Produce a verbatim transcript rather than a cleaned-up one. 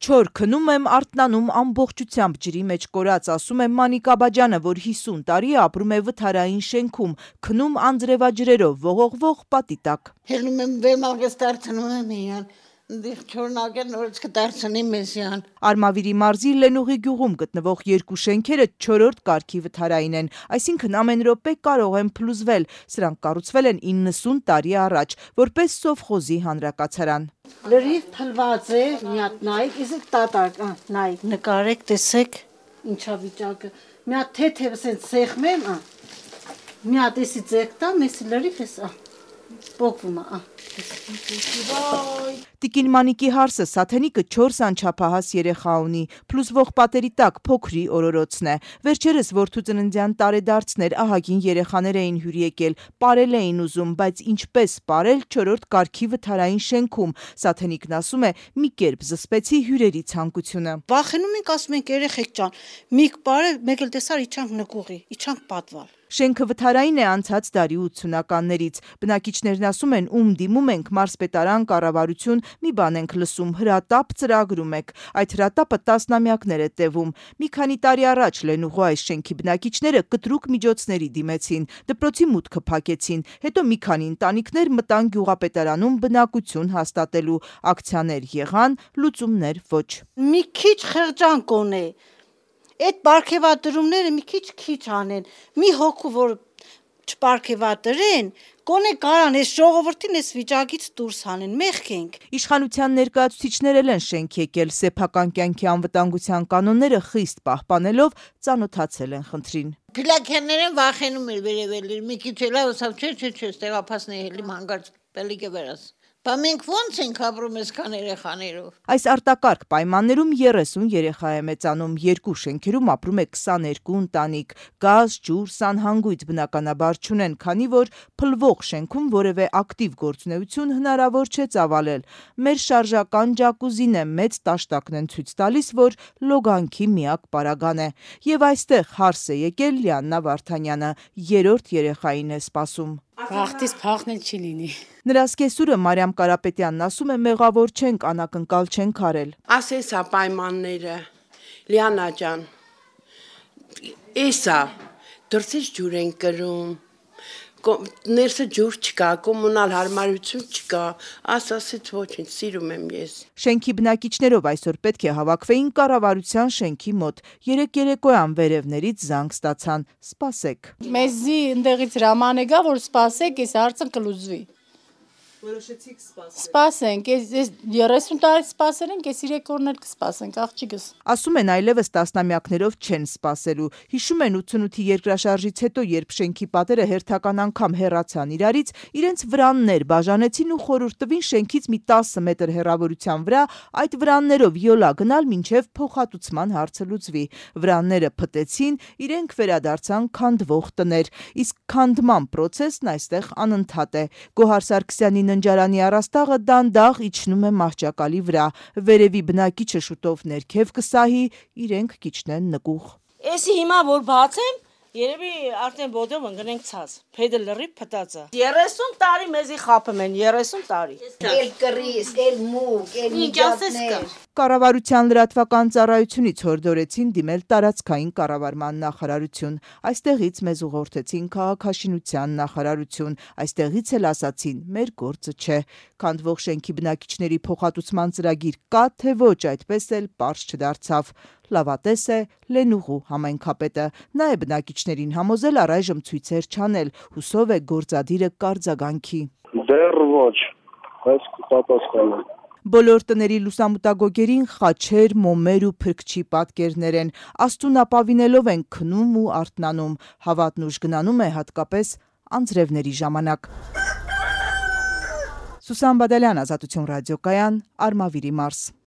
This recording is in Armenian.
Չոր քնում եմ, արթնանում ամբողջությամբ ջրի մեջ կորած, ասում է Մանիկ Աբաջյանը, որ հիսուն տարի է ապրում է վթարային շենքում, քնում անձրևաջրերով, ողողվող պատի տակ։ Հելնում եմ վերմաղես դարձնում եմ իրան, չորնակել նորից կդարձնի մեզյան։ Արմավիրի մարզի Լենուղի գյուղում գտնվող երկու շենքերը չորրորդ կարգի վթարային են, այսինքն ամեն րոպե կարող են փլուզվել, սրանք կառուցվել են իննսուն տարի առաջ, որպես սովխոզի հանրակացարան։ Լրիվ փլված է, մի հատ նայեք, իսկ տատակ, նայեք, նկարեք, տեսեք ինչա վիճակը, մի հատ թեթև սենց սեղմեմ, մի հատ էսի ձեկ տամ, էսի լրիվ էս, պոկվում է, Տիկին Մանիկի հարսը Սաթենիկը չորս անչափահաս երեխա ունի, փլուզվող պատերի տակ փոքրի օրորոցն է։ Վերջերս որդու ծննդյան տարեդարձներ ահագին երեխաներ էին հյուր եկել, պարել էին ուզում, բայց ինչպես պարել չորրորդ կարգի վթարային շենքում, Սաթենիկն ասում է, մի կերպ զսպեցի հյուրերի ցանկությունը։ Վախենում ենք, ասում ենք երեխեք ջան, մի պարե, մեկ էլ տեսար իջանք նկուղի, իջանք պատվալ։ Շենքը վթարային է անցած դարի ութսունականներից։ Բնակիչներն ասում են, ում դիմում ենք մարզպետարան, կառավարություն, մի բան ենք լսում, հրատապ ծրագրում եք։ Այդ հրատապը տասնամյակներ է տևում։ Մի քանի տարի առաջ Լենուղու այս շենքի բնակիչները կտրուկ միջոցների դիմեցին, դպրոցի մուտքը փակեցին, հետո մի քանի ընտանիքներ մտան գյուղապետարանում բնակություն հաստատելու, ակցիաներ եղան, լուծումներ ոչ։ Մի քիչ խեղճանք ունի։ Այդ պարգևատրումները մի քիչ-քիչ անեն, մի հոգու, որ չպարգևատրեն, կոնե կարան այս ժողովրդին այս վիճակից դուրս հանեն, մեղք ենք։ Իշխանության ներկայացուցիչներ են շենք եկել, սեփական կյանքի անվտանգության կանոնները խիստ պահպանելով ծանոթացել են խնդրին։ Փիլակյանները վախենում էր վերևել, մի քիչ էլա ուսավ, չէ, չէ, չէ, ստեղափացնի հելի հանգարց պելիքը վերաս։ Բա մենք ո՞նց ենք ապրում այսքան երեխաներով։ Այս արտակարգ պայմաններում երեսուն երեխա է մեծանում, երկու շենքերում ապրում է քսաներկու ընտանիք, գազ, ջուր, սանհանգույց բնականաբար չունեն, քանի որ փլվող շենքում որևէ ակտիվ գործունեություն հնարավոր չէ ծավալել։ Մեր շարժական ջակուզին է, մեծ տաշտակն են ցույց տալիս, որ լոգանքի միակ պարագան է։ Եվ այստեղ հարս է եկել Լիաննա Վարդանյանը, երրորդ երեխային է սպասում։ Վախտից փախնել չի լինի։ Նրա սկեսուրը Մարիամ Կարապետյանն ասում է, մեղավոր չենք, անակնկալ չենք արել։ Ասես է պայմանները, Լիանա ջան, էսա, դրսից ջուր են կրում, ներսը ջուր չկա, կոմունալ հարմարություն չկա, ասասից ոչինչ, սիրում եմ ես։ Շենքի բնակիչներով այսօր պետք է հավաքվեին կառավարության շենքի մոտ, երեք երեկոյան վերևներից զանգ ստացան, սպասեք։ Մեզի ընդեղից հրաման է գա, որ սպասեք, այս հարցը կլուծվի։ Որոշեցիք սպասել։ Սպասենք, այս երեսուն տարի սպասել ենք, այս երեք օրն էլ կսպասենք, աղջիկս։ Ասում են այլևս տասնամյակներով չեն սպասելու։ Հիշում են ութսունութի երկրաշարժից հետո, երբ շենքի պատերը հերթական անգամ հեռացան իրարից, իրենց վրաններ բաժանեցին ու խորհուրդ տվին շենքից մի տասը մետր հեռավորության վրա այդ վրաններով յոլա գնալ մինչև փոխհատուցման հարցը լուծվի։ Վրանները փտեցին, իրենք վերադարձան քանդվող տներ, իսկ քանդման պրոցեսն այստեղ անընդհատ է։ Գոհար Սարգսյանի ննջարանի առաստաղը դանդաղ իջնում է մահճակալի վրա, վերևի բնակիչը շուտով ներքև կսահի, իրենք կիջնեն նկուղ։ Էսի հիմա որ բացեմ, երևի արդեն բոդով ընկնենք ցած, փեդը լրիվ փտածը։ երեսուն տարի մեզի խափում են, երեսուն տարի։ Էլ կռիս, էլ մուկ, էլ միջատներ։ Կառավարության լրատվական ծառայությունից հորդորեցին դիմել տարածքային կառավարման նախարարություն, այստեղից մեզ ուղղորդեցին քաղաքաշինության նախարարություն, այստեղից էլ ասացին, մեր գործը չէ։ Քանդվող շենքի բնակիչների փոխհատուցման ծրագիր կա, թե ոչ, այդպես էլ պարզ չդարձավ։ Լավատես է Լենուղու համայնքապետը, նա է բնակիչներին համոզել առայժմ ցույցեր չանել, հուսով է գործադիրը կարձագանքի։ Դեռ ոչ, բայց կպատասխանեմ։ Բոլոր տների լուսամուտագոգերին խաչեր, մոմեր ու փրկչի պատկերներ են, աստուն ապավինելով են քնում ու արթնանում, հավատն ուժ գնանում է հատկապես անձրևների ժամանակ։ Սուսան Բադալյան, Ազատություն ռադիոկայան, Արմավիրի մարզ։